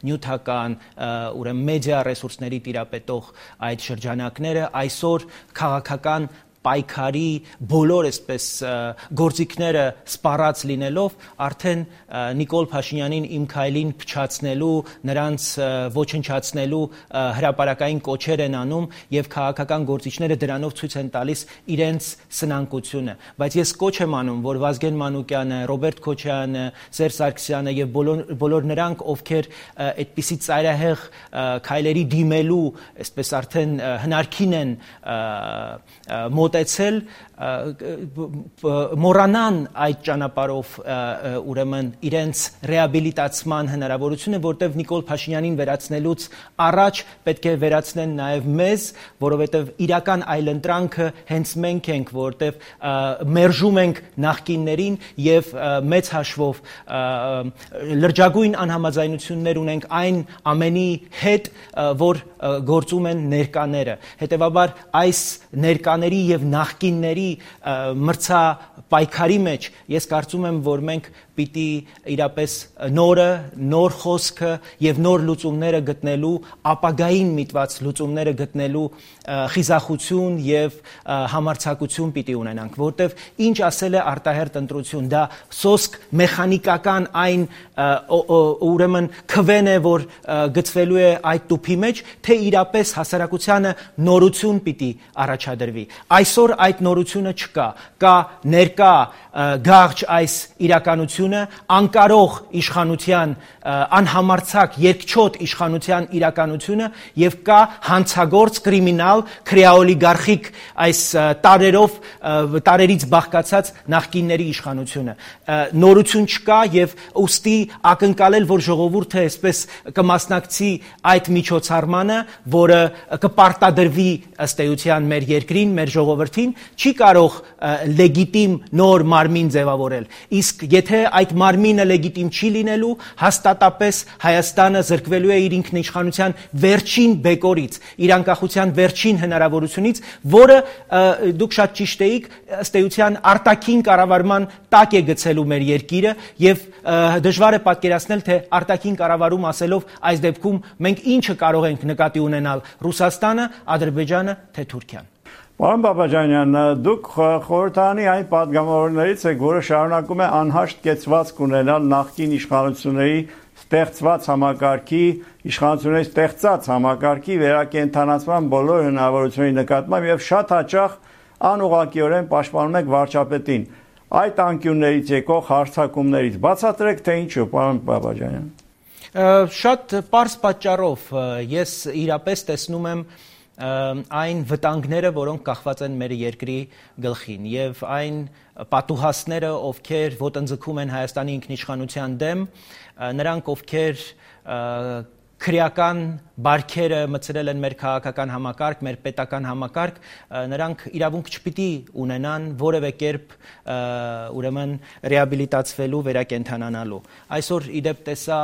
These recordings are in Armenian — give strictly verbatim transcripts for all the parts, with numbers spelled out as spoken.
նյութական, ուրեմն մեդիա ռեսուրսների տիրապետող այդ շրջանակները այսօր քաղաքական պայքարի բոլոր այսպես գործիքները սպառած լինելով արդեն Նիկոլ Փաշինյանին իմ քայլին փչացնելու, նրանց ոչնչացնելու հրապարակային կոչեր են անում եւ քաղաքական գործիչները դրանով ցույց են տալիս իրենց սնանկությունը, բայց ես կոչ եմ անում, որ Վազգեն Մանուկյանը, Ռոբերտ Քոչարյանը, Սերժ Սարգսյանը եւ բոլոր բոլոր նրանք, ովքեր այդպիսի ծայրահեղ քայլերի դիմելու, այսպես արդեն հնարքին են մոտեցել, մոռանան այդ ճանապարհով ուրեմն իրենց ռեաբիլիտացման հնարավորությունը, որտեղ Նիկոլ Փաշինյանին վերացնելուց առաջ պետք է վերացնեն նաև մեզ, որովհետև իրական այլընտրանքը հենց մենք ենք, որտեղ մերժում ենք նախկիններին եւ մեծ հաշվով լրջագույն անհամաձայնություններ ունենք այն ամենի հետ, որ գործում են ներկաները։ Հետևաբար այս ներկաների եւ նախկինների մրցապայքարի մեջ ես կարծում եմ, որ մենք պիտի իրապես նորը, նոր խոսքը եւ նոր լուծումները գտնելու, ապագային միտված լուծումները գտնելու խիզախություն եւ համարձակություն պիտի ունենանք, որտեվ ինչ ասել է արտահերտ ընտրություն, դա սոսկ մեխանիկական այն ուրեմն քվեն է, որ գծվելու է այդ տուփի մեջ, թե իրապես հասարակությանը նորություն պիտի առաջադրվի։ Այսօր այդ նորությունը չկա, կա ներկա գաղջ այս իրականությունը, անկարող իշխանության, անհամարձակ երկչոտ իշխանության իրականությունը եւ կա հանցագործ կրիմինալ քրեաօլիգարխիկ այս տարերով տարերից բաղկացած նախկինների իշխանությունը։ Նորություն չկա եւ ուստի ակնկալել, որ ժողովուրդը այսպես կմասնակցի այդ միջոցառմանը, որը կպարտադրվի ըստ էության մեր երկրին, մեր ժողովրդին, չի կարող լեգիտիմ նոր մարմին ձևավորել։ Իսկ եթե այդ մարմինը լեգիտիմ չի լինելու, հաստատապես Հայաստանը զրկվելու է իր ինքնիշխանության վերջին բեկորից, իր անկախության վերջին հնարավորությունից, որը դուք շատ ճիշտ էիք, ըստ էության արտաքին կառավարման տակ է գցելու մեր երկիրը եւ դժվար է պատկերացնել, թե արտաքին կառավարում ասելով այս դեպքում մենք ինչը կարող ենք նկատի ունենալ՝ Ռուսաստանը, Ադրբեջանը, թե Թուրքիան։ Պարոն Բաբաջանյան, դուք խորհրդարանի այն պատգամավորներից եք, որը շարունակում է անհաշտ կեցվածք ունենալ նախկին իշխանությունների ստեղծված համակարգի, իշխանությունների ստեղծած համակարգի վերակենդանացման բոլոր հնարավորությունների նկատմամբ եւ շատ հաճախ անուղղակիորեն պաշտպանում եք վարչապետին։ Այդ անկյուններից եկող հարձակումներից բացատրեք, թե ինչու, պարոն Բաբաջանյան։ Շատ պարզ պատճառով ես իրապես տեսնում եմ այն վտանգները, որոնք կախված են մեր երկրի գլխին եւ այն պատուհասները, ովքեր ոտնձգում են Հայաստանի ինքնիշխանության դեմ, նրանք ովքեր քրեական բարքերը մցրել են մեր քաղաքական համակարգ, մեր պետական համակարգ, նրանք իրավունք չպիտի ունենան որևէ կերպ ուրեմն ռեաբիլիտացվելու, վերակենդանանալու։ Այսօր իդեպ տեսա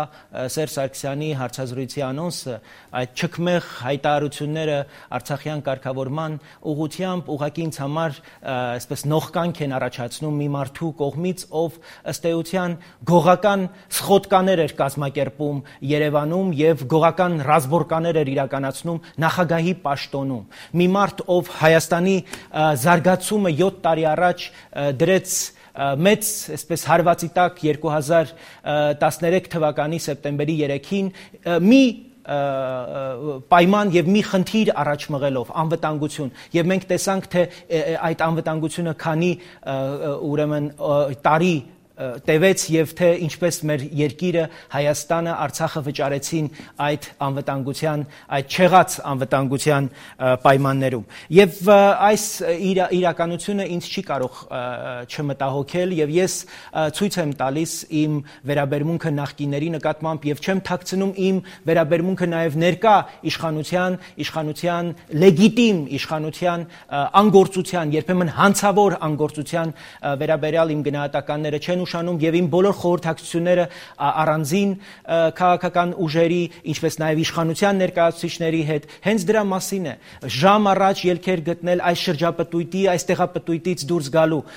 Սերժ Սարգսյանի հարցազրույցի անոնսը, այդ չքմեղ հայտարարությունները Արցախյան կարգավորման ուղղությամբ ուղղակի ինձ համար այսպես նողկանք են առաջացնում մի մարդու կողմից, ով ըստ էության գողական սխոտկաներ էր կազմակերպում Երևանում եւ գողական ռազմորկաներ էր իրականացնում նախագահի պաշտոնում։ Մի մարդ, ով Հայաստանի զարգացումը յոթ տարի առաջ դրեց մեծ այսպես հարվածի տակ երկու հազար տասներեք թվականի սեպտեմբերի երեքին, մի պայման եւ մի խնդիր առաջ մղելով անվտանգություն եւ մենք տեսանք թե այդ անվտանգությունը քանի ուրեմն տարի տևեց եւ թե ինչպես մեր երկիրը Հայաստանը Արցախը վճարեցին այդ անվտանգության, այդ չեղած անվտանգության պայմաններում։ Եվ այս իրականությունը ինձ չի կարող չմտահոգել եւ ես ցույց եմ տալիս իմ վերաբերմունքը նախկինների նկատմամբ եւ չեմ թաքցնում իմ վերաբերմունքը նաեւ ներկա իշխանության, իշխանության լեգիտիմ իշխանության անգործության, երբեմն հանցավոր անգործության վերաբերյալ իմ գնահատականները չեն ուշանում եւ իմ բոլոր խորհրդակցությունները առանձին քաղաքական ուժերի, ինչպես նաեւ իշխանության ներկայացուցիչների հետ հենց դրա մասին է։ Ժամ առաջ ելքեր գտնել այս շրջապտույտի, այս տեղապտույտից դուրս գալու։